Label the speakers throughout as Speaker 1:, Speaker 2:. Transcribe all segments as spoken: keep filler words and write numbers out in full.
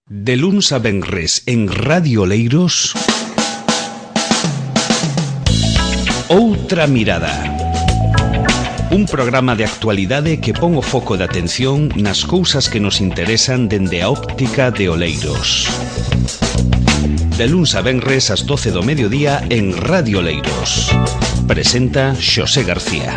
Speaker 1: De luns a venres en Radio Oleiros, Outra Mirada. Un programa de actualidade que pon o foco de atención nas cousas que nos interesan dende a óptica de Oleiros. De luns a venres ás doce do mediodía en Radio Oleiros. Presenta Xosé García.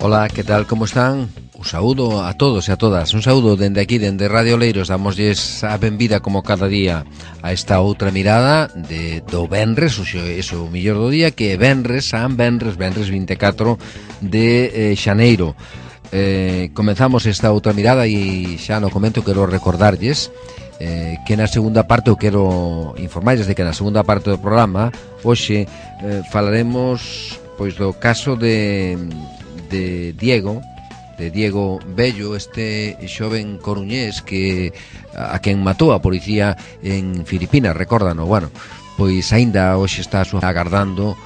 Speaker 2: Ola, que tal, como están? Un saúdo a todos e a todas. Un saúdo dende aquí, dende Radio Oleiros. Damosles a benvida como cada día a esta outra mirada de do venres, o iso o millor do día, que é venres, san venres, venres vinte e catro de eh, xaneiro. Eh, comenzamos esta outra mirada e xa no comento quero recordarlles eh, que na segunda parte eu quero informarlles de que na segunda parte do programa hoxe eh, falaremos pois do caso de de Diego de Diego Bello, este xoven coruñés que a quen matou a policía en Filipinas, recórdano. Bueno, pois aínda hoxe está agardando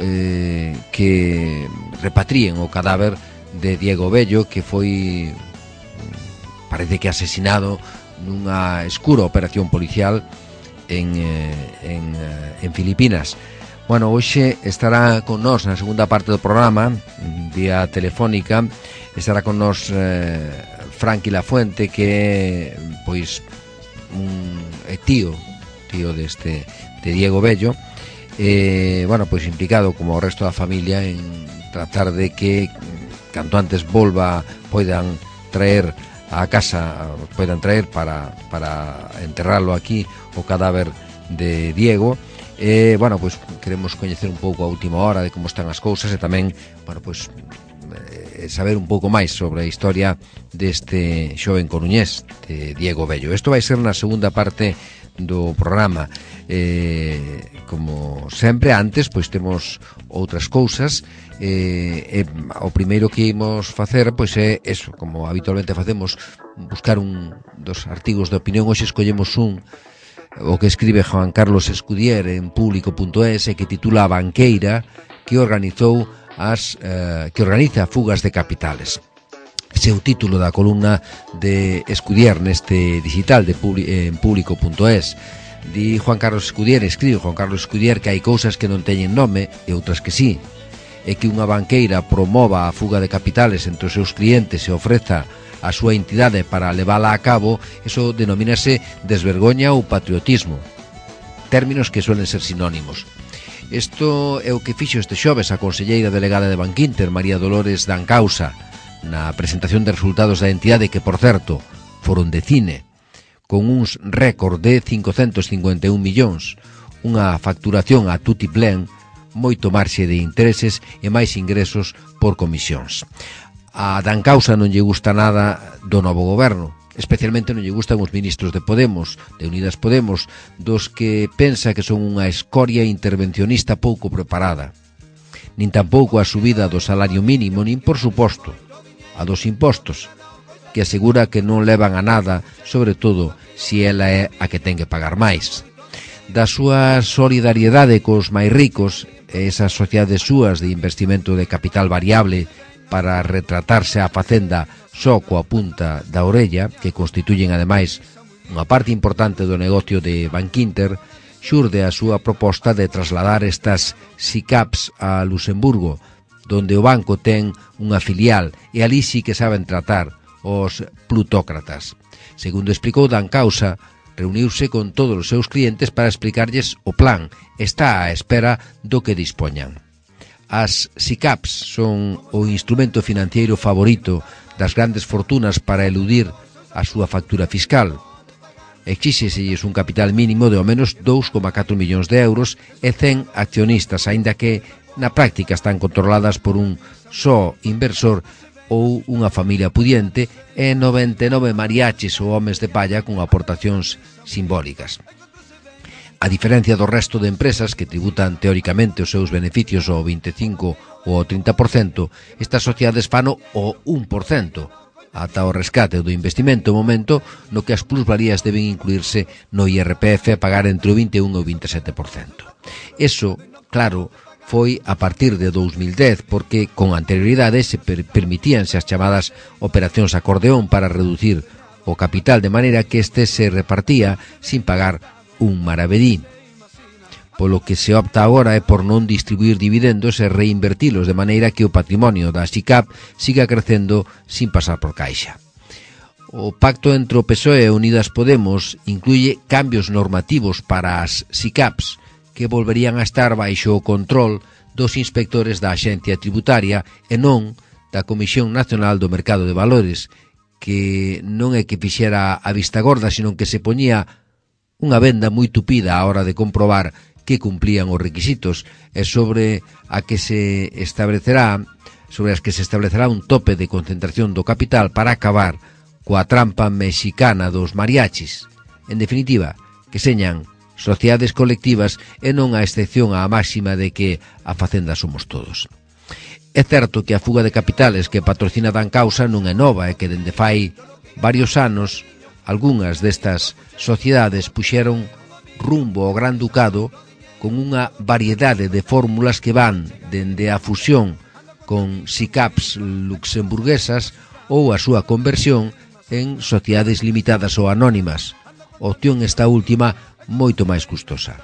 Speaker 2: eh, que repatríen o cadáver de Diego Bello, que foi, parece que asesinado nunha escura operación policial en, en, en Filipinas. Bueno, hoxe estará con nós na segunda parte do programa, vía telefónica, estará con nós eh, Franqui Lafuente, que é, pois, un é tío, tío deste, de Diego Bello, eh, bueno, pois implicado como o resto da familia en tratar de que canto antes volva, poidan traer a casa, poidan traer para, para enterrarlo aquí o cadáver de Diego. Eh, bueno, pois queremos coñecer un pouco a última hora de como están as cousas e tamén, bueno, pois eh, saber un pouco máis sobre a historia deste xoven coruñés, de Diego Bello. Isto vai ser na segunda parte do programa. Eh, como sempre, antes, pois temos outras cousas. Eh, eh, o primeiro que imos facer, pois é eso, como habitualmente facemos, buscar un dos artigos de opinión. Hoxe escollemos un o que escribe Juan Carlos Escudier en público punto es e que titula A Banqueira, que organizou as eh, que organiza fugas de capitales. Ese é o título da columna de Escudier neste digital de publi, eh, en público punto es. Di Juan Carlos Escudier, escribe Juan Carlos Escudier, que hai cousas que non teñen nome e outras que sí, e que unha banqueira promova a fuga de capitales entre os seus clientes e ofreza a súa entidade para levala a cabo, eso denomínase desvergoña ou patriotismo, términos que suelen ser sinónimos. Isto é o que fixo este xoves a conselleira delegada de Bankinter, María Dolores Dancausa, na presentación de resultados da entidade que, por certo, foron de cine, con uns récord de cincocentos cincuenta e un millóns, unha facturación a tutiplén, moito marxe de intereses e máis ingresos por comisións. A Dancausa non lle gusta nada do novo goberno, especialmente non lle gustan os ministros de Podemos, de Unidas Podemos, dos que pensa que son unha escoria intervencionista pouco preparada. Nin tampouco a subida do salario mínimo, nin, por suposto, a dos impostos, que asegura que non levan a nada, sobre todo se ela é a que ten que pagar máis. Da súa solidariedade cos máis ricos, e esas sociedades súas de investimento de capital variable para retratarse a facenda só coa punta da orella, que constituyen ademais unha parte importante do negocio de Bankinter, xurde a súa proposta de trasladar estas S I C A Ps a Luxemburgo, donde o banco ten unha filial e ali sí que saben tratar os plutócratas. Segundo explicou Dancausa, reuniuse con todos os seus clientes para explicarlles o plan. Está á espera do que dispoñan. As S I C A Ps son o instrumento financiero favorito das grandes fortunas para eludir a súa factura fiscal. Exíxeselles un capital mínimo de ao menos dous coma catro millóns de euros e cen accionistas, aínda que na práctica están controladas por un só inversor ou unha familia pudiente e noventa e nove mariachis ou homes de palla con aportacións simbólicas. A diferencia do resto de empresas que tributan teóricamente os seus beneficios ao vinte e cinco ou ao trinta por cento, estas sociedades fano o un por cento, ata o rescate do investimento, momento no que as plusvalías deben incluirse no I R P F a pagar entre o vinte e un e o vinte e sete por cento. Eso, claro, foi a partir de dous mil dez, porque con anterioridade se per permitíanse as chamadas operacións acordeón para reducir o capital de maneira que este se repartía sin pagar un maravedí. Polo que se opta agora é por non distribuir dividendos e reinvertilos de maneira que o patrimonio da SICAP siga crecendo sin pasar por caixa. O pacto entre o P S O E e Unidas Podemos incluye cambios normativos para as SICAPs que volverían a estar baixo o control dos inspectores da Axencia Tributaria e non da Comisión Nacional do Mercado de Valores, que non é que fixera a vista gorda, sino que se poñía unha venda moi tupida á hora de comprobar que cumplían os requisitos e sobre a que se establecerá sobre as que se establecerá un tope de concentración do capital para acabar coa trampa mexicana dos mariachis. En definitiva, que señan sociedades colectivas e non a excepción á máxima de que a facenda somos todos. É certo que a fuga de capitales que patrocina Dan Causa non é nova e que dende fai varios anos algunhas destas sociedades puxeron rumbo ao Gran Ducado con unha variedade de fórmulas que van dende a fusión con SICAPs luxemburguesas ou a súa conversión en sociedades limitadas ou anónimas, opción esta última moito máis custosa.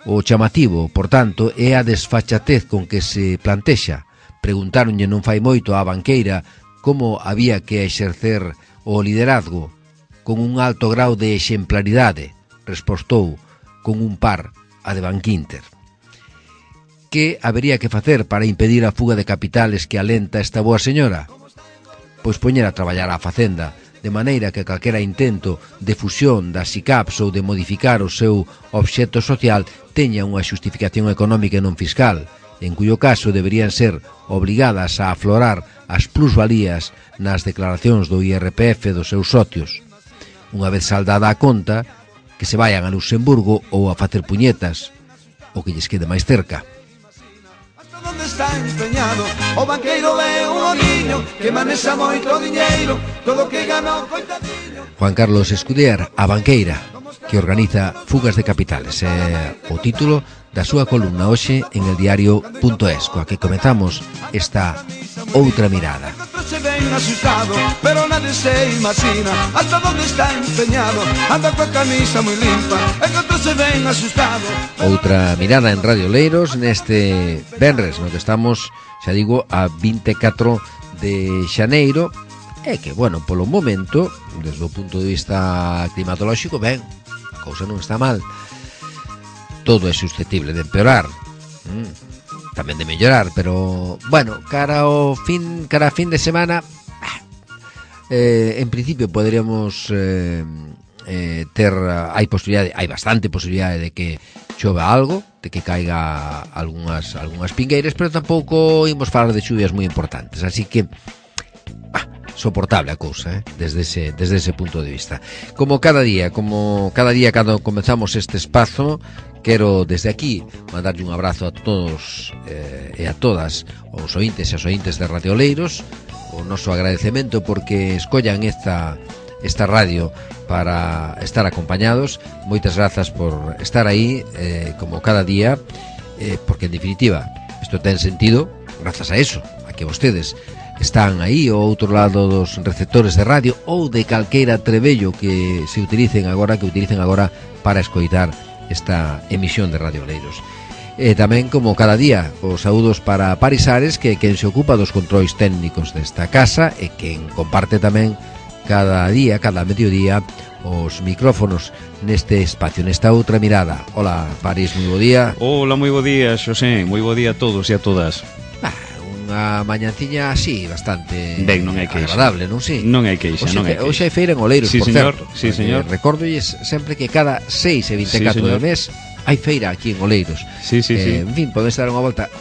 Speaker 2: O chamativo, por tanto, é a desfachatez con que se plantexa. Preguntáronlle non fai moito á banqueira como había que exercer o liderazgo con un alto grau de exemplaridade. Respostou con un par a de Bankinter. Que habería que facer para impedir a fuga de capitales que alenta esta boa señora? Pois poñer a traballar a Facenda, de maneira que calquera intento de fusión das SICAPs ou de modificar o seu obxecto social teña unha xustificación económica e non fiscal, en cuyo caso deberían ser obrigadas a aflorar as plusvalías nas declaracións do I R P F dos seus socios. Unha vez saldada a conta, que se vayan a Luxemburgo ou a facer puñetas, o que lles quede máis cerca.
Speaker 3: Hasta onde está empeñado o banqueiro é un niño que manexa moito diñeiro, todo que gana coitadiño.
Speaker 2: Juan Carlos Escuder, a banqueira, que organiza fugas de capitales. É o título da súa columna hoxe en el diario punto es, coa que comezamos esta outra mirada.
Speaker 3: Se ven asustado, pero nadie se imagina hasta dónde está empeñado. Anda coa camisa moi limpa, e que se ven asustado.
Speaker 2: Outra mirada en Radio Leiros neste venres, no que estamos, xa digo, a vinte e catro de xaneiro. É que, bueno, polo momento, desde o punto de vista climatolóxico, ben, a cousa non está mal. Todo é susceptible de empeorar. Mm. Tamén de mellorar, pero bueno, cara ao fin, cara a fin de semana, eh, en principio poderíamos eh, eh, ter, hai posibilidade, hai bastante posibilidade de que chova algo, de que caiga algunhas algunhas pingueiras, pero tampouco imos falar de chuvias moi importantes, así que ah, soportable a cousa, eh, desde ese desde ese punto de vista. Como cada día, como cada día cando comenzamos este espazo, quero desde aquí mandarlle un abrazo a todos eh, e a todas os ointes e as ointes de Radio Leiros, o noso agradecemento porque escollan esta esta radio para estar acompañados. Moitas grazas por estar aí eh, como cada día, eh, porque en definitiva isto ten sentido grazas a eso, a que vostedes están aí ao outro lado dos receptores de radio ou de calqueira trebello que se utilicen agora, que utilicen agora para escoitar esta emisión de Radio Leiros. E tamén, como cada día, os saúdos para Paris Ares, que é quen se ocupa dos controis técnicos desta casa e quen comparte tamén cada día, cada mediodía, os micrófonos neste espacio, nesta outra mirada. Hola, Paris, moi bo día.
Speaker 1: Hola, moi bo día, Xosé, moi bo día a todos e a todas.
Speaker 2: Ah, unha mañanciña así, bastante
Speaker 1: ben, non hai queixa.
Speaker 2: Agradable, non si?
Speaker 1: Non hai queixa, non hai queixa.
Speaker 2: Hoxe hai feira en Oleiros,
Speaker 1: sí,
Speaker 2: por
Speaker 1: señor,
Speaker 2: certo.
Speaker 1: Sí, señor.
Speaker 2: Recórdolles sempre que cada seis e vinte e catro sí, do mes hai feira aquí en Oleiros.
Speaker 1: Sí, sí,
Speaker 2: eh,
Speaker 1: sí.
Speaker 2: En fin, podes dar unha volta.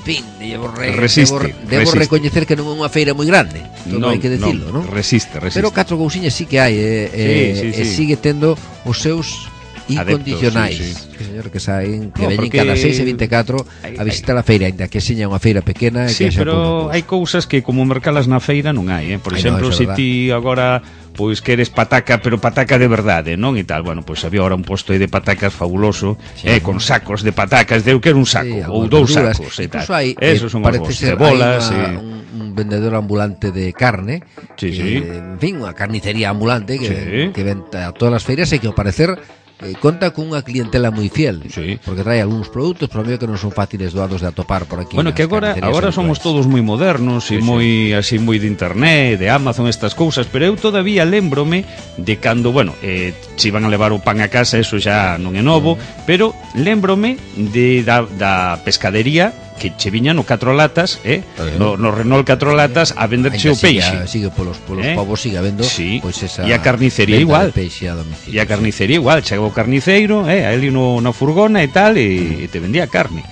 Speaker 2: En fin, debo, re,
Speaker 1: resiste,
Speaker 2: debo, debo
Speaker 1: resiste.
Speaker 2: recoñecer que non é unha feira moi grande. Todo
Speaker 1: non,
Speaker 2: hai que decirlo, non?
Speaker 1: Resiste, resiste.
Speaker 2: Pero catro cousiñas sí que hai, eh,
Speaker 1: sí,
Speaker 2: eh,
Speaker 1: sí,
Speaker 2: sí. E
Speaker 1: sí.
Speaker 2: sigue tendo os seus incondicionais,
Speaker 1: adeptos, sí, sí.
Speaker 2: Que señor, que saen, que
Speaker 1: No,
Speaker 2: veñen
Speaker 1: porque-
Speaker 2: cada seis e veinticuatro a visitar a feira, ainda que seña unha feira pequena.
Speaker 1: Sí,
Speaker 2: que haxa
Speaker 1: pero
Speaker 2: pouca
Speaker 1: hai
Speaker 2: cousa.
Speaker 1: cousas que como mercalas na feira non hai, eh? Por
Speaker 2: Ai,
Speaker 1: exemplo,
Speaker 2: no, eso é
Speaker 1: se
Speaker 2: verdad.
Speaker 1: ti agora pois queres pataca, pero pataca de verdade, non? E tal, bueno, pois había ahora un posto aí de patacas fabuloso,
Speaker 2: Sí.
Speaker 1: eh, con sacos de patacas, de eu quero un saco,
Speaker 2: Sí,
Speaker 1: ou
Speaker 2: algunhas
Speaker 1: dous
Speaker 2: verduras.
Speaker 1: sacos, e tal.
Speaker 2: Incluso hai,
Speaker 1: Esos
Speaker 2: eh,
Speaker 1: son os
Speaker 2: parece
Speaker 1: bons,
Speaker 2: ser,
Speaker 1: cebolas,
Speaker 2: hai
Speaker 1: e...
Speaker 2: unha- un, un vendedor ambulante de carne,
Speaker 1: Sí,
Speaker 2: que,
Speaker 1: sí.
Speaker 2: en fin, unha carnicería ambulante que,
Speaker 1: Sí.
Speaker 2: que ven a todas as feiras e que ao parecer eh, conta cunha clientela moi fiel,
Speaker 1: Sí.
Speaker 2: porque trae algúns produtos, pero medio que non son fáciles doados de atopar por aquí.
Speaker 1: Bueno,
Speaker 2: nas
Speaker 1: que agora
Speaker 2: carnicerías
Speaker 1: agora somos
Speaker 2: habituais.
Speaker 1: todos moi modernos e
Speaker 2: Sí,
Speaker 1: moi así moi de internet, de Amazon, estas cousas, pero eu todavía lémbrome de cando, bueno, eh, se iban a levar o pan a casa, eso xa non é novo,
Speaker 2: Mm.
Speaker 1: pero lémbrome de da, da pescadería que che viñan no catro latas, eh,
Speaker 2: Eh.
Speaker 1: no, no Renault catro latas a venderche o
Speaker 2: Ainda sigue,
Speaker 1: peixe.
Speaker 2: sigue polos, polos
Speaker 1: Eh?
Speaker 2: povos, sigue habendo
Speaker 1: Sí.
Speaker 2: pois esa
Speaker 1: E a carnicería
Speaker 2: venda
Speaker 1: igual.
Speaker 2: de peixe a domicilio.
Speaker 1: E a carnicería igual, chegaba o carniceiro, eh, ali no, na furgona e tal, e, e te vendía carne.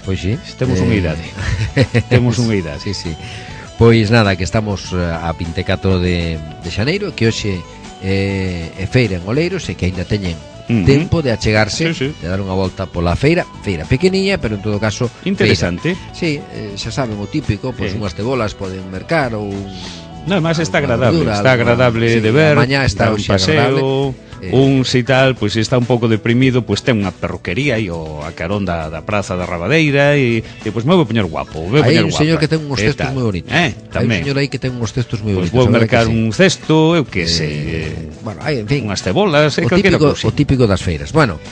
Speaker 2: Pois sí.
Speaker 1: Temos unha idade. Temos unha idade.
Speaker 2: Sí, sí. Pois nada, que estamos eh, a vinte e catro de, de xaneiro, que hoxe eh, é feira en Oleiros e que aínda teñen
Speaker 1: Ujú.
Speaker 2: tempo de achegarse,
Speaker 1: Sí, sí.
Speaker 2: de dar unha volta pola feira, feira pequeniña, pero en todo caso
Speaker 1: Interesante.
Speaker 2: feira. Sí, eh, xa saben o típico, pois
Speaker 1: Eh.
Speaker 2: unhas cebolas poden mercar ou
Speaker 1: No, además está
Speaker 2: alguna
Speaker 1: agradable,
Speaker 2: verdura,
Speaker 1: está
Speaker 2: alguna-
Speaker 1: agradable
Speaker 2: sí,
Speaker 1: de ver,
Speaker 2: a mañá está
Speaker 1: dar un
Speaker 2: hoxe agradable.
Speaker 1: paseo,
Speaker 2: Eh.
Speaker 1: un si tal, pois está un pouco deprimido, pois ten unha perruquería aí o a carón da, da praza da Rabadeira e, e pois me vou poñer guapo, vou
Speaker 2: hai
Speaker 1: poñer
Speaker 2: un
Speaker 1: guapa.
Speaker 2: señor que ten uns
Speaker 1: E
Speaker 2: textos
Speaker 1: tal.
Speaker 2: moi bonitos.
Speaker 1: Eh,
Speaker 2: Hai un
Speaker 1: tamén.
Speaker 2: señor aí que ten uns textos moi
Speaker 1: Pois
Speaker 2: bonitos.
Speaker 1: vou
Speaker 2: a verdade
Speaker 1: mercar
Speaker 2: que sí.
Speaker 1: un cesto, eu que
Speaker 2: Eh,
Speaker 1: sei,
Speaker 2: bueno, hai, en fin,
Speaker 1: unhas cebolas, e
Speaker 2: o
Speaker 1: calquera
Speaker 2: típico,
Speaker 1: cousa.
Speaker 2: o típico das feiras. Bueno,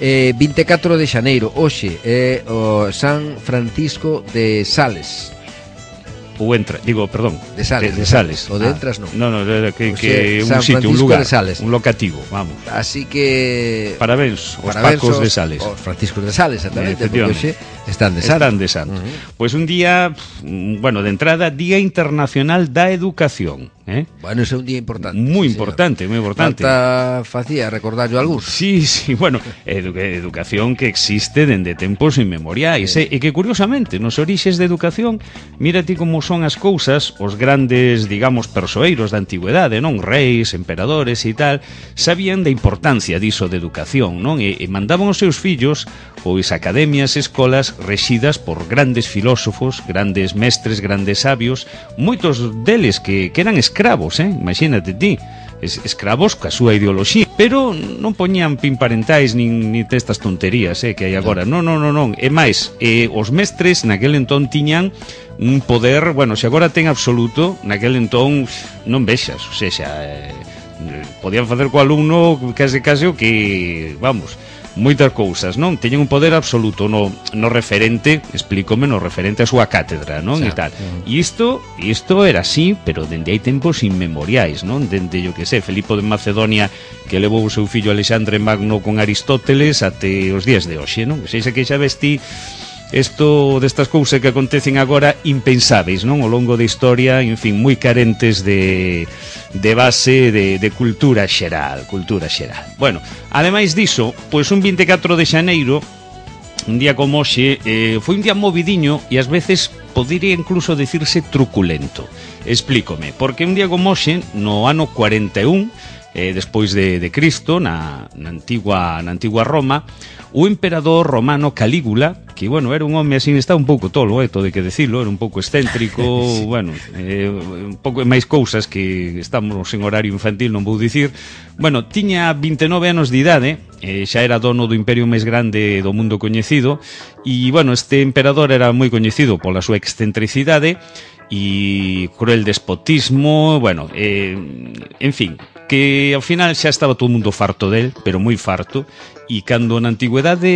Speaker 2: eh, vinte e catro de xaneiro, hoxe é o San Francisco de Sales.
Speaker 1: Ou entra, digo, perdón,
Speaker 2: De Sales,
Speaker 1: de, de
Speaker 2: de
Speaker 1: Sales.
Speaker 2: Sales. O de Entras, non.
Speaker 1: No, no, de- que,
Speaker 2: O
Speaker 1: que
Speaker 2: sea,
Speaker 1: un
Speaker 2: San
Speaker 1: sitio, un
Speaker 2: Francisco
Speaker 1: lugar,
Speaker 2: de Sales.
Speaker 1: un locativo, vamos.
Speaker 2: Así que
Speaker 1: Parabéns aos
Speaker 2: parabéns
Speaker 1: Pacos
Speaker 2: aos-
Speaker 1: de Sales.
Speaker 2: Os Franciscos de Sales, exactamente, porque
Speaker 1: Efectivamente.
Speaker 2: hoxe están de santo.
Speaker 1: Están de santo.
Speaker 2: Ujú.
Speaker 1: Pois un día, mm, bueno, de entrada, Día Internacional da Educación, eh?
Speaker 2: Bueno, ese é un día importante.
Speaker 1: Moi
Speaker 2: sí,
Speaker 1: importante, moi importante.
Speaker 2: Falta facía recordarlo algúns.
Speaker 1: Sí, sí, bueno, edu educación que existe dende tempos inmemoriais, eh? E que curiosamente, nos orixes de educación, mira ti como son as cousas, os grandes, digamos, persoeiros da antigüedade, non? Reis, emperadores e tal, sabían da importancia diso de educación, non? E, e mandaban os seus fillos, pois, a academias e escolas rexidas por grandes filósofos, grandes mestres, grandes sabios, moitos deles que, que eran escravos, eh? Imagínate ti, es, escravos ca súa ideoloxía, pero non poñían pin-parentais nin, nin testas tonterías eh, que hai agora, non, non, non, non. E máis, eh, os mestres naquel entón tiñan un poder, bueno, se agora ten absoluto, naquel entón non vexas, o sexa, eh, podían facer co alumno case case o que, vamos, moitas cousas, non? Teñen un poder absoluto no, no referente, explícome, no referente a súa cátedra, non?
Speaker 2: Sí.
Speaker 1: E tal. E isto, isto era así, pero dende hai tempos inmemoriais, non? Dende, yo que sé, Filipo de Macedonia que levou o seu fillo Alexandre Magno con Aristóteles até os días de hoxe, non? Que seixa que xa vesti isto destas cousas que acontecen agora impensáveis, non? Ao longo da historia, en fin, moi carentes de, de base de, de cultura xeral, cultura xeral. Bueno, ademais diso, pois un vinte e catro de xaneiro, un día como hoxe, eh, foi un día movidiño e ás veces podería incluso decirse truculento. Explícome, porque un día como hoxe, no ano cuarenta e un, eh, despois de, de Cristo, na, na, antigua, na antigua Roma, o emperador romano Calígula, que, bueno, era un home así, está un pouco tolo, eh, todo hai que decirlo, era un pouco excéntrico, sí. Bueno, eh, un pouco máis cousas que estamos en horario infantil, non vou dicir. Bueno, tiña vinte e nove anos de idade, eh, xa era dono do imperio máis grande do mundo coñecido, e, bueno, este emperador era moi coñecido pola súa excentricidade e cruel despotismo, bueno, eh, en fin, que ao final xa estaba todo o mundo farto del, pero moi farto, e cando na antigüedade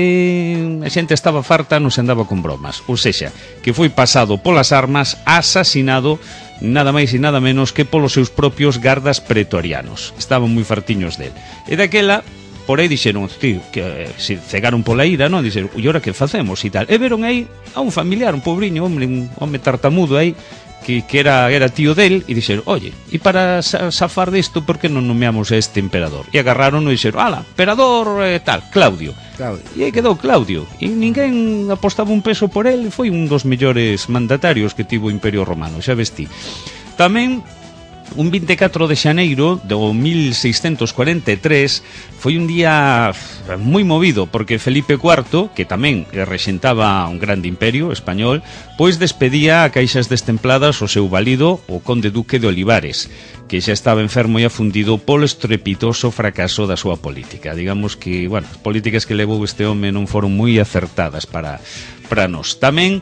Speaker 1: a xente estaba farta non se andaba con bromas, ou sexa, que foi pasado polas armas, asasinado nada máis e nada menos que polos seus propios gardas pretorianos, estaban moi fartiños del, e daquela por aí dixeron, tío, que eh, se cegaron pola ira, non? Dixeron, e ora que facemos e tal, e veron aí a un familiar, un pobriño, hombre, un home tartamudo aí, que, que era, era tío del, e dixeron, oye, e para zafar disto, por que non nomeamos a este emperador? E agarraron e dixeron, ala, emperador eh, tal, Claudio.
Speaker 2: Claudio.
Speaker 1: E aí quedou Claudio, e ninguén apostaba un peso por el, e foi un dos mellores mandatarios que tivo o Imperio Romano, xa vestí. Tamén un vinte e catro de xaneiro do mil seiscentos cuarenta e tres foi un día moi movido, porque Felipe cuarto, que tamén rexentaba un grande imperio español, pois despedía a caixas destempladas o seu valido, o conde duque de Olivares, que xa estaba enfermo e afundido polo estrepitoso fracaso da súa política. Digamos que, bueno, as políticas que levou este home non foron moi acertadas para, para nós. Tamén,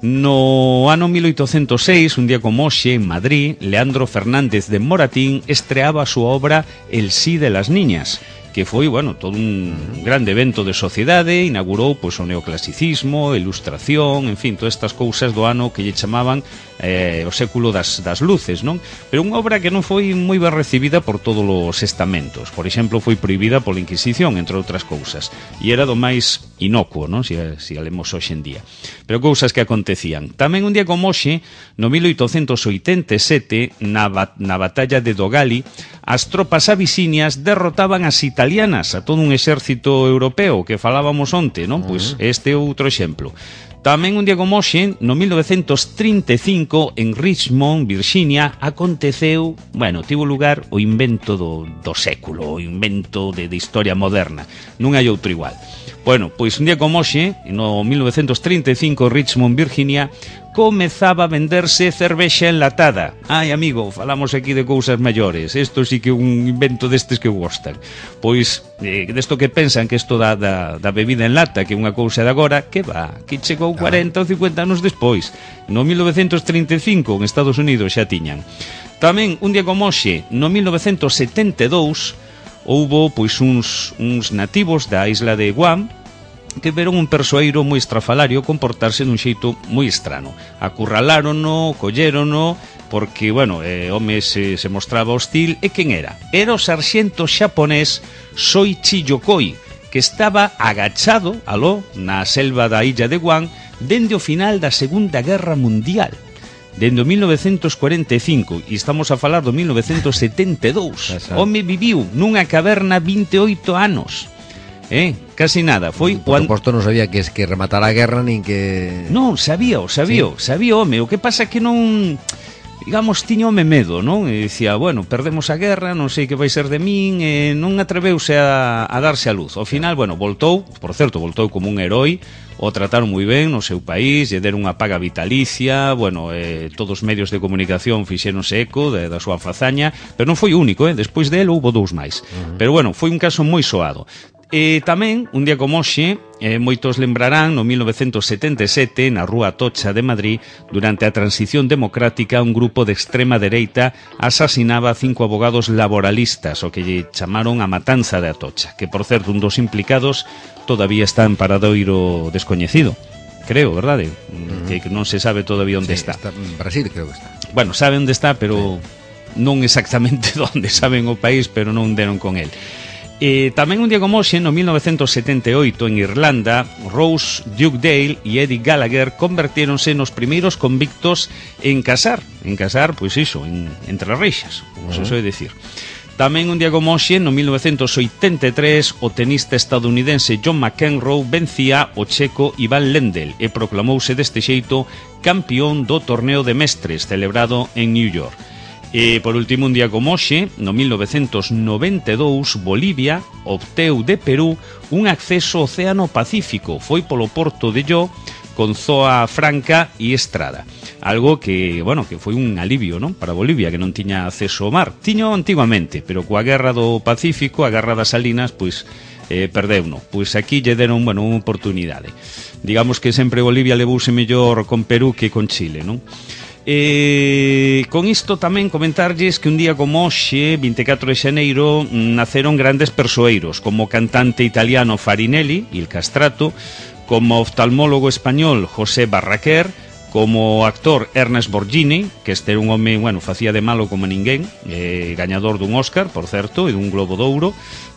Speaker 1: no ano mil oitocentos seis, un día como hoxe, en Madrid, Leandro Fernández de Moratín estreaba a súa obra El sí de las niñas, que foi, bueno, todo un grande evento de sociedade, inaugurou pois, o neoclasicismo, a ilustración, en fin, todas estas cousas do ano que lle chamaban eh, o século das, das luces, non? Pero unha obra que non foi moi ben recibida por todos os estamentos. Por exemplo, foi prohibida pola Inquisición, entre outras cousas, e era do máis inocuo, non? Si, si a lemos hoxe en día. Pero cousas que acontecían. Tamén un día como hoxe, no mil oitocentos oitenta e sete, na, na batalla de Dogali, as tropas abisinias derrotaban as italianas, a todo un exército europeo que falábamos onte, non? Uh-huh. Pois este é outro exemplo. Tamén un día como hoxe, no mil novecentos trinta e cinco, en Richmond, Virginia, aconteceu, bueno, tivo lugar o invento do, do século, o invento de, de historia moderna. Non hai outro igual. Bueno, pois un día como hoxe, no mil novecentos trinta e cinco, Richmond, Virginia, comezaba a venderse cervexa enlatada. Ai, amigo, falamos aquí de cousas maiores. Isto sí que é un invento destes que gostan. Pois, eh, desto que pensan que isto da, da, da bebida en lata, que é unha cousa de agora, que va, que chegou cuarenta ou cincuenta anos despois. No mil novecentos trinta e cinco, en Estados Unidos, xa tiñan. Tamén, un día como hoxe, no mil novecentos setenta e dous, houbo pois uns, uns nativos da isla de Guam que veron un persoeiro moi estrafalario comportarse dun xeito moi estrano. Acurralárono, collérono, porque, bueno, eh, home se, se mostraba hostil. E quen era? Era o sarxento xaponés Soichi Yokoi, que estaba agachado, aló, na selva da illa de Guam, dende o final da Segunda Guerra Mundial. Dende o mil novecentos cuarenta e cinco, e estamos a falar do mil novecentos setenta e dous. Home viviu nunha caverna vinte e oito anos. Eh, casi nada, foi
Speaker 2: por suposto non sabía que es que rematara a guerra nin que...
Speaker 1: Non, sabía, sabía, sí. sabía, home, o que pasa que non, digamos, tiña home medo, non? E dicía, bueno, perdemos a guerra, non sei que vai ser de min, e non atreveuse a, a darse a luz. Ao final, bueno, voltou, por certo, voltou como un heroi, o trataron moi ben no seu país, lle deron unha paga vitalicia, bueno, eh, todos os medios de comunicación fixéronse eco de, da súa fazaña, pero non foi o único, eh? Despois dele houbo dous máis. Uh-huh. Pero bueno, foi un caso moi soado. E tamén, un día como hoxe, eh, moitos lembrarán, no mil novecentos setenta e sete, na Rúa Atocha de Madrid, durante a transición democrática, un grupo de extrema dereita asasinaba a cinco abogados laboralistas, o que lle chamaron a matanza de Atocha, que, por certo, un dos implicados todavía está en paradoiro descoñecido. Creo, verdade? Uh-huh. Que non se sabe todavía onde
Speaker 2: sí,
Speaker 1: está.
Speaker 2: está. En Brasil creo que está.
Speaker 1: Bueno, sabe onde está, pero sí. non exactamente onde, saben o país, pero non deron con el. E tamén un día como hoxe, no mil novecentos setenta e oito, en Irlanda, Rose Dugdale e Eddie Gallagher convertéronse nos primeiros convictos en casar, en casar, pois iso, en, entre reixas, como uh-huh. se soe decir. Tamén un día como hoxe, no mil novecentos oitenta e tres, o tenista estadounidense John McEnroe vencía o checo Ivan Lendl e proclamouse deste xeito campeón do torneo de mestres celebrado en New York. E, por último, un día como hoxe, no mil novecentos noventa e dous, Bolivia obteu de Perú un acceso ao Océano Pacífico. Foi polo porto de Llo, con zoa franca e estrada. Algo que, bueno, que foi un alivio, non? Para Bolivia, que non tiña acceso ao mar. Tiño antigamente, pero coa guerra do Pacífico, a guerra das Salinas, pois, eh, perdeuno. Pois aquí lle deron, bueno, unha oportunidade. Digamos que sempre Bolivia levouse mellor con Perú que con Chile, non? E con isto tamén comentarlles que un día como hoxe, vinte e catro de xaneiro, naceron grandes persoeiros, como o cantante italiano Farinelli, Il Castrato, como oftalmólogo español José Barraquer, como actor Ernest Borghini, que este era un home, bueno, facía de malo como ninguén, eh, gañador dun Óscar, por certo, e dun Globo de Ouro.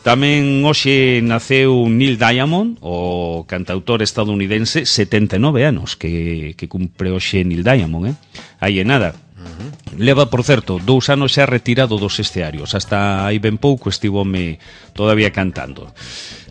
Speaker 1: Tamén hoxe naceu Neil Diamond, o cantautor estadounidense, setenta e nove anos, que, que cumpre hoxe Neil Diamond, eh? Aí é nada. Uh-huh. Leva, por certo, dous anos xa retirado dos escearios. Hasta aí ben pouco estivome todavía cantando.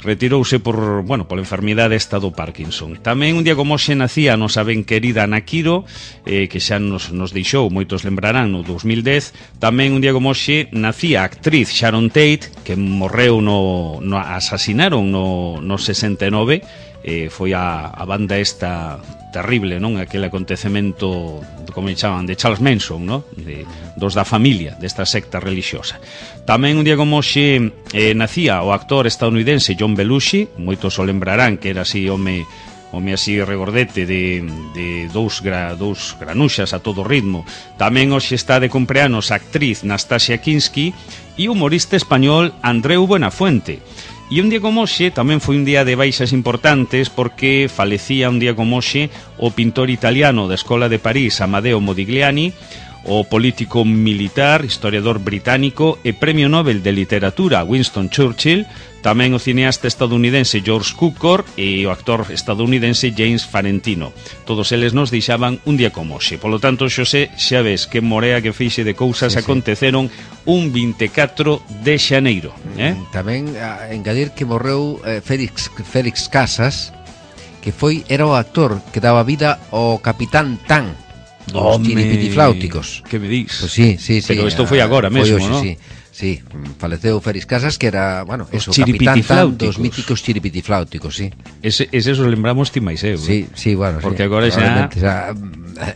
Speaker 1: Retirouse por, bueno, pola enfermidade esta do Parkinson. Tamén un día como hoxe nacía a nosa ben querida Ana Quiro, eh, que xa nos, nos deixou, moitos lembrarán, no dos mil dez. Tamén un día como hoxe nacía a actriz Sharon Tate, que morreu no, no asasinaron no, no sesenta e nove. Eh, foi a, a banda esta terrible, non? Aquele acontecemento, como chaman, de Charles Manson, non? De, dos da familia desta secta religiosa. Tamén un día como hoxe eh, nacía o actor estadounidense John Belushi, moitos o lembrarán que era así home home así regordete de, de dous, gra, dous granuxas a todo ritmo. Tamén hoxe está de cumpleanos a actriz Nastasia Kinski e o humorista español Andreu Buenafuente. E un día como hoxe tamén foi un día de baixas importantes porque falecía un día como hoxe o pintor italiano da Escola de París Amadeo Modigliani, o político militar, historiador británico e premio Nobel de Literatura Winston Churchill, tamén o cineasta estadounidense George Cukor e o actor estadounidense James Farentino. Todos eles nos deixaban un día como hoxe. Polo tanto, Xosé, xa ves que morea que feixe de cousas sí, aconteceron sí. un vinte e catro de xaneiro. Eh?
Speaker 2: Tamén a engadir que morreu eh, Félix, Félix Casas, que foi era o actor que daba vida ao Capitán Tan dos chiripitifláuticos.
Speaker 1: Que me dis?
Speaker 2: Pues sí, sí, sí.
Speaker 1: Pero isto foi agora mesmo,
Speaker 2: non? Sí, sí, faleceu Félix Casas, que era, bueno, eso, Capitán Tan dos míticos chiripitifláuticos, sí.
Speaker 1: Ese, ese os lembramos ti máis eu.
Speaker 2: Sí, sí, bueno,
Speaker 1: porque
Speaker 2: sí,
Speaker 1: agora xa...
Speaker 2: xa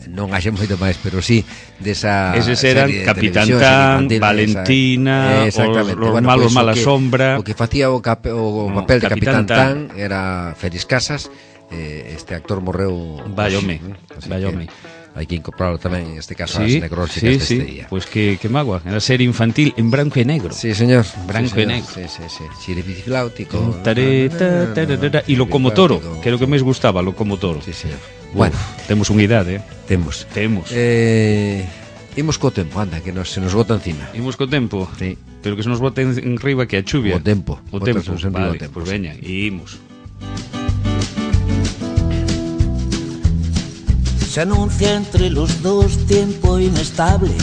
Speaker 2: non haxe moito máis, pero sí, desa
Speaker 1: eses eran Capitán Tan, Valentina, esa, os, os bueno, malos pues, mala
Speaker 2: que,
Speaker 1: sombra.
Speaker 2: O que facía o, cap, o
Speaker 1: no,
Speaker 2: papel de
Speaker 1: Capitán,
Speaker 2: Capitán Tan era Félix Casas. Eh, este actor morreu...
Speaker 1: Vayome, vayome.
Speaker 2: Hai que incorporarlo tamén, en este caso,
Speaker 1: sí,
Speaker 2: as necróxicas
Speaker 1: sí,
Speaker 2: deste
Speaker 1: sí.
Speaker 2: día.
Speaker 1: Pois pues que, que magua, era serie infantil en branco e negro.
Speaker 2: Sí, señor.
Speaker 1: Branco
Speaker 2: sí,
Speaker 1: e negro.
Speaker 2: Sí, sí, sí. Chiripitifláutico.
Speaker 1: E Locomotoro, que é o que máis gustaba, Locomotoro.
Speaker 2: Sí, señor.
Speaker 1: Bueno, Uf, temos unha idade, eh?
Speaker 2: Temos.
Speaker 1: Temos.
Speaker 2: Eh, imos co tempo, anda, que nos, se nos bota encima.
Speaker 1: Imos co tempo?
Speaker 2: Sí.
Speaker 1: Pero que se nos bota en, en riba que a chuvia.
Speaker 2: O tempo.
Speaker 1: O tempo,
Speaker 2: vale,
Speaker 1: o tempo. Pois pues veña, e imos.
Speaker 4: Se anuncia entre los dos tiempo inestable.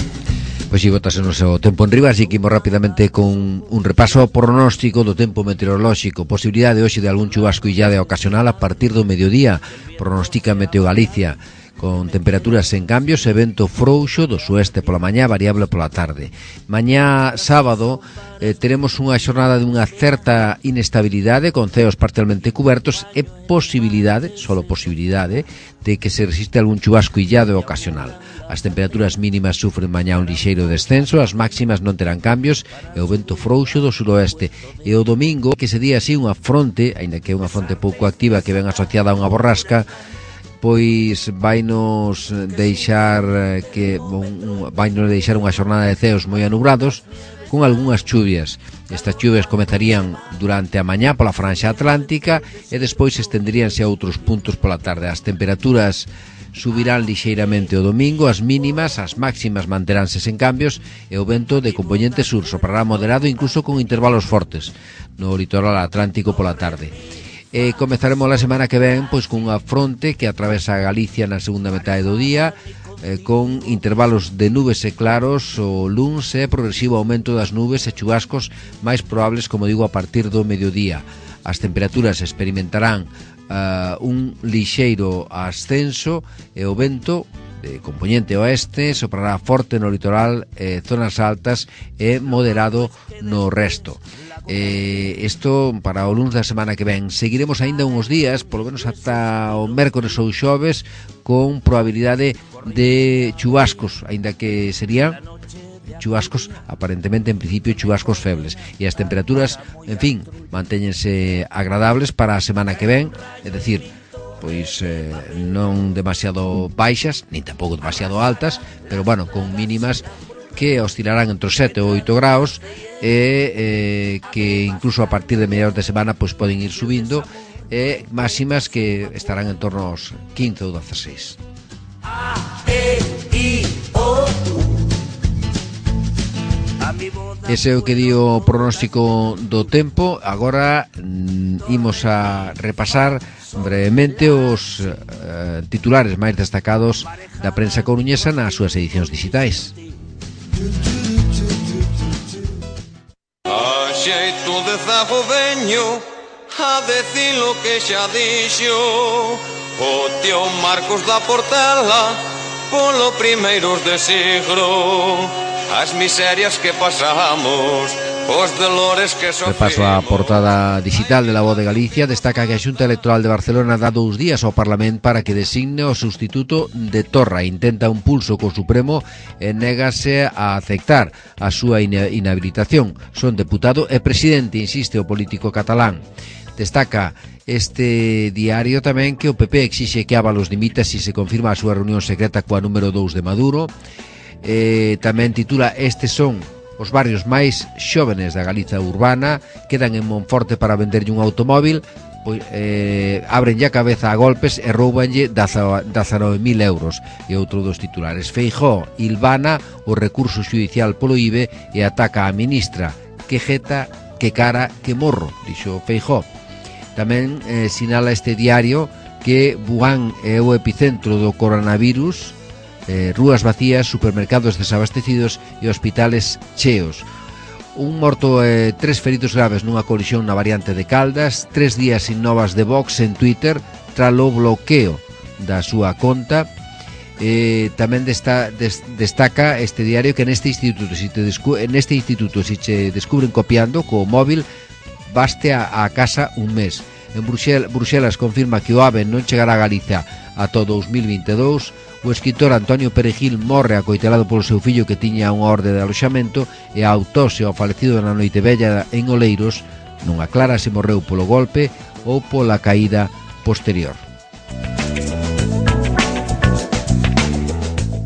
Speaker 2: Pois si botas o seu tempo en riba, así que imos rapidamente con un repaso ao pronóstico do tempo meteorolóxico. Posibilidade hoxe de algún chubasco illado ocasional a partir do mediodía, pronostica Meteo Galicia, con temperaturas en cambios e vento frouxo do sueste pola mañá, variable pola tarde. Mañá sábado eh, teremos unha xornada de unha certa inestabilidade con ceos parcialmente cubertos e posibilidade, solo posibilidade, de que se resiste algún chubasco illado e ocasional. As temperaturas mínimas sufren mañá un lixeiro descenso, as máximas non terán cambios e o vento frouxo do suroeste. E o domingo, que se día así unha fronte, aínda que é unha fronte pouco activa que ven asociada a unha borrasca, pois vainos deixar que un, vainos deixar unha xornada de ceos moi anubrados con algunhas chuvias. Estas chuvias comezarían durante a mañá pola franxa atlántica e despois estenderíanse a outros puntos pola tarde. As temperaturas subirán lixeiramente o domingo, as mínimas, as máximas manteránse sen cambios e o vento de componente sur soprará moderado incluso con intervalos fortes no litoral atlántico pola tarde. E comezaremos a semana que ven pois cunha fronte que atravesa Galicia na segunda metade do día, eh, con intervalos de nubes e claros o luns e progresivo aumento das nubes e chubascos máis probables, como digo, a partir do mediodía. As temperaturas experimentarán uh, un lixeiro ascenso e o vento de componente oeste soprará forte no litoral, eh, zonas altas e moderado no resto. Eh, isto para o luns da semana que ven. Seguiremos aínda uns días, polo menos ata o mércores ou xoves, con probabilidade de chubascos, aínda que serían chubascos, aparentemente en principio chubascos febles, e as temperaturas, en fin, mantéñense agradables para a semana que ven, é dicir, pois eh, non demasiado baixas, nin tampouco demasiado altas, pero bueno, con mínimas que oscilarán entre os sete ou oito graus e eh, que incluso a partir de mediados de semana pois poden ir subindo, e máximas que estarán en torno aos quince ou dezasseis. Ese é o que di o pronóstico do tempo. Agora mm, imos a repasar brevemente os uh, titulares máis destacados da prensa coruñesa nas súas edicións digitais.
Speaker 5: alzajo veño a decir lo que xa dixo o tío Marcos da Portela polo primeiros de siglo. As miserias que pasamos, os dolores que sofrimos.
Speaker 2: Repaso a portada digital de La Voz de Galicia. Destaca que a Xunta Electoral de Barcelona dá dous días ao Parlamento para que designe o sustituto de Torra. Intenta un pulso co Supremo e négase a aceptar a súa inhabilitación. Son deputado e presidente, insiste o político catalán. Destaca este diario tamén que o P P exixe que Ábalos dimita se se confirma a súa reunión secreta coa número dous de Maduro. Eh, tamén titula Estes son os barrios máis xóvenes da Galiza urbana, quedan en Monforte para venderlle un automóvil, pois, eh, abrenlle a cabeza a golpes e roubanlle dezanove mil euros. E outro dos titulares, Feijóo ilvana o recurso xudicial polo I B E e ataca a ministra. Que jeta, que cara, que morro, dixo Feijóo. Tamén eh, sinala este diario que Wuhan é o epicentro do coronavirus, eh, rúas vacías, supermercados desabastecidos e hospitales cheos. Un morto e eh, tres feridos graves nunha colisión na variante de Caldas. Tres días sin novas de Vox en Twitter tralo bloqueo da súa conta. Eh, tamén desta, des, destaca este diario que neste instituto si te descu- en este instituto si te descubren copiando co móvil baste a, a casa un mes. En Bruxel, Bruxelas confirma que o AVE non chegará a Galicia ata dous mil vinte e dous. O escritor Antonio Perejil morre acoitelado polo seu fillo que tiña unha orde de aloxamento e a autopsia ao falecido na noite vella en Oleiros non aclara se morreu polo golpe ou pola caída posterior.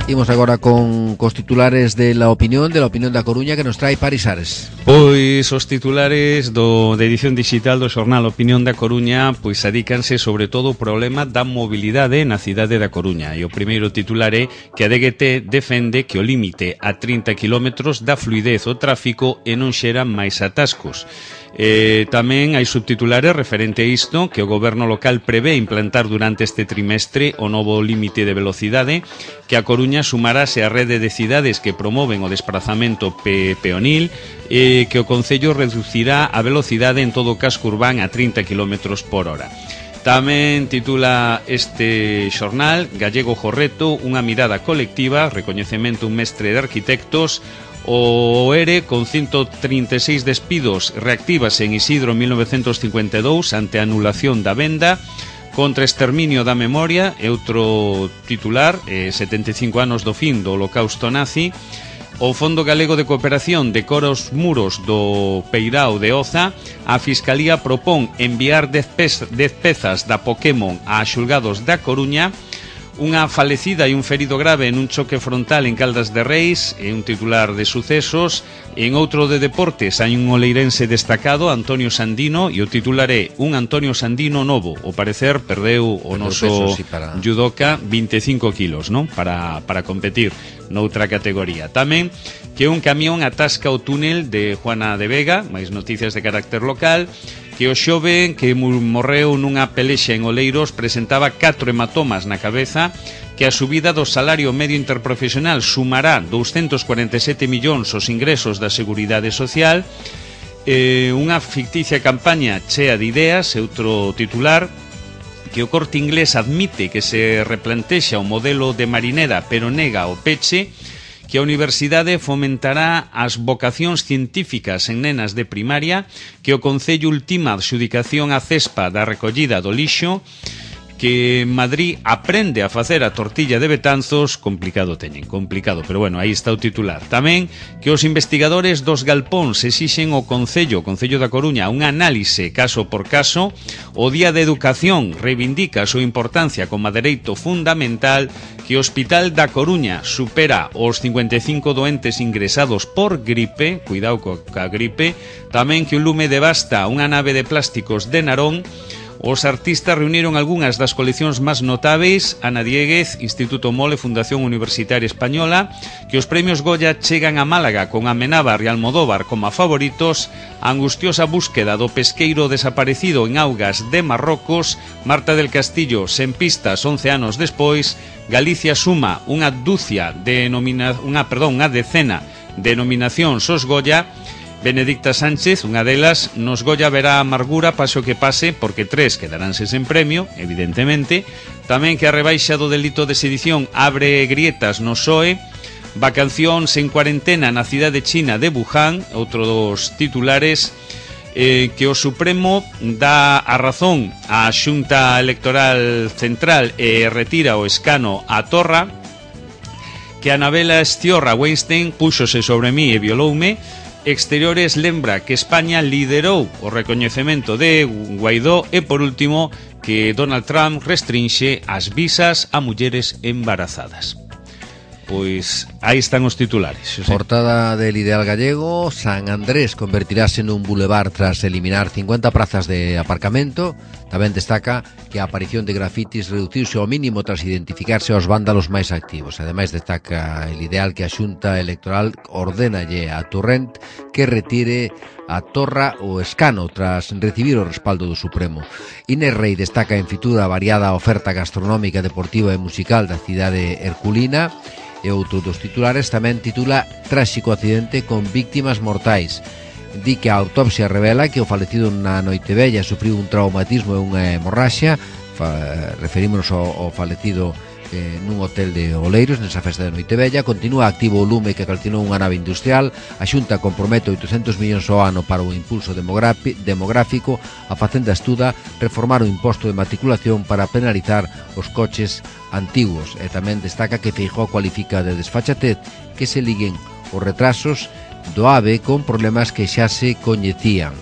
Speaker 2: Imos agora con cos titulares de La Opinión, de La Opinión da Coruña, que nos trae Paris Ares.
Speaker 1: Pois os titulares do, de edición digital do xornal Opinión da Coruña pois adícanse sobre todo ao problema da mobilidade na cidade da Coruña. E o primeiro titular é que a D G T defende que o límite a trinta kilómetros dá fluidez ao tráfico e non xera máis atascos. Eh, tamén hai subtitulares referente a isto, que o goberno local prevé implantar durante este trimestre o novo límite de velocidade, que a Coruña sumarase á rede de cidades que promoven o desplazamento pe peonil, e que o Concello reducirá a velocidade en todo o casco urbán a trinta kilómetros por hora. Tamén titula este xornal Gallego Jorreto, unha mirada colectiva, recoñecemento un mestre de arquitectos. O E R E con ciento trinta e seis despidos reactívase en Isidro mil novecentos cincuenta e dous ante a anulación da venda. Contra exterminio da memoria é outro titular, eh, setenta e cinco anos do fin do holocausto nazi. O Fondo Galego de Cooperación decora os muros do Peirao de Oza. A Fiscalía propón enviar dez pezas da Pokémon a xulgados da Coruña. Unha falecida e un ferido grave en un choque frontal en Caldas de Reis, é un titular de sucesos. En outro de deportes hai un oleirense destacado, Antonio Sandino, e o titular é un Antonio Sandino novo. O parecer perdeu o noso peso, sí, para... judoka vinte e cinco kilos, non? Para, para competir noutra categoría. Tamén que un camión atasca o túnel de Juana de Vega, máis noticias de carácter local. Que o xoven que morreu nunha pelexa en Oleiros presentaba catro hematomas na cabeza, que a subida do salario medio interprofesional sumará doscientos cuarenta e sete millóns os ingresos da Seguridade Social. Eh, unha ficticia campaña chea de ideas, é outro titular. Que o Corte Inglés admite que se replantexa o modelo de marinera pero nega o peche. Que a Universidade fomentará as vocacións científicas en nenas de primaria, que o Concello ultima a adxudicación a Cespa da recollida do lixo, que Madrid aprende a facer a tortilla de Betanzos, complicado teñen, complicado, pero bueno, aí está o titular. Tamén que os investigadores dos galpóns exixen ao Concello, o Concello da Coruña, unha análise caso por caso. O Día de Educación reivindica a súa importancia como dereito fundamental. Que o Hospital da Coruña supera os cincuenta e cinco doentes ingresados por gripe, cuidado coa gripe. Tamén que o lume devasta unha nave de plásticos de Narón. Os artistas reuniron algunhas das coleccións máis notáveis. Ana Dieguez, Instituto Mole, Fundación Universitaria Española. Que os premios Goya chegan a Málaga con Amenábar e Almodóvar como a favoritos. A angustiosa búsqueda do pesqueiro desaparecido en augas de Marrocos. Marta del Castillo sen pistas once anos despois. Galicia suma unha dúcia de nomina... unha, perdón, unha decena de nominacións aos Goya. Benedicta Sánchez, unha delas, nos Goya verá amargura paso que pase, porque tres quedaránse sen premio, evidentemente. Tamén que a rebaixa do delito de sedición abre grietas no P S O E. Vacacións en cuarentena na cidade china de Wuhan, outro dos titulares. Eh, que o Supremo dá a razón á Xunta Electoral Central e retira o escano a Torra. Que Anabela Estiorra Weinstein púxose sobre mí e violoume. Exteriores lembra que España liderou o recoñecemento de Guaidó. E por último, que Donald Trump restrinxe as visas a mulleres embarazadas. Pois aí están os titulares, Xosé.
Speaker 2: Portada del Ideal Gallego: San Andrés convertirase nun bulevar tras eliminar cincuenta prazas de aparcamento. Tamén destaca que a aparición de grafitis reduciuse ao mínimo tras identificarse aos vándalos máis activos. Ademais destaca el Ideal que a Xunta Electoral ordénalle a Torrent que retire a Torra o escano tras recibir o respaldo do Supremo. Inés Rei destaca en Fitura a variada oferta gastronómica, deportiva e musical da cidade herculina. E outro dos titulares tamén titula Tráxico accidente con víctimas mortais. Di que a autopsia revela que o falecido na Noitevella sufriu un traumatismo e unha hemorraxia. Fa, referímonos ao, ao falecido eh, nun hotel de Oleiros, nesa festa de Noitevella. Continúa activo o lume que calcinou unha nave industrial. A Xunta compromete oitocentos millóns ao ano para o impulso demográfico. A Facenda estuda reformar o imposto de matriculación para penalizar os coches antiguos. E tamén destaca que Feijóo cualifica de desfachatez que se liguen os retrasos do AVE con problemas que xa se coñecían.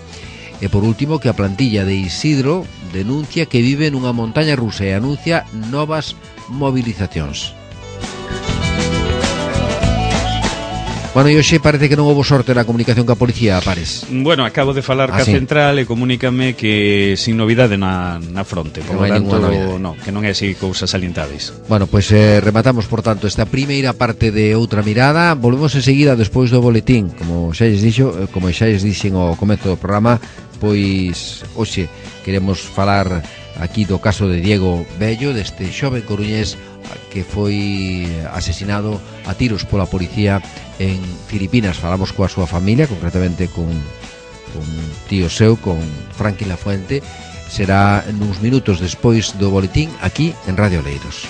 Speaker 2: E por último, que a plantilla de Isidro denuncia que vive nunha montaña rusa e anuncia novas movilizacións. Bueno, e hoxe parece que non houbo sorte na comunicación ca policía, Pares.
Speaker 1: Bueno, acabo de falar
Speaker 2: ah,
Speaker 1: ca
Speaker 2: sí.
Speaker 1: central e comunícame que sin novidade na, na fronte. Por lo tanto, no, que non é así cousas salientáveis.
Speaker 2: Bueno, pois pues, eh, rematamos, por tanto, esta primeira parte de Outra Mirada. Volvemos enseguida despois do boletín. Como xa lles dixo, como xa lles dixen ao comezo do programa, pois hoxe queremos falar aquí do caso de Diego Bello, deste xoven coruñés que foi asesinado a tiros pola policía en Filipinas. Falamos coa súa familia, concretamente con, con tío seu, con Franqui Lafuente. Será nuns minutos despois do boletín aquí en Radio Oleiros.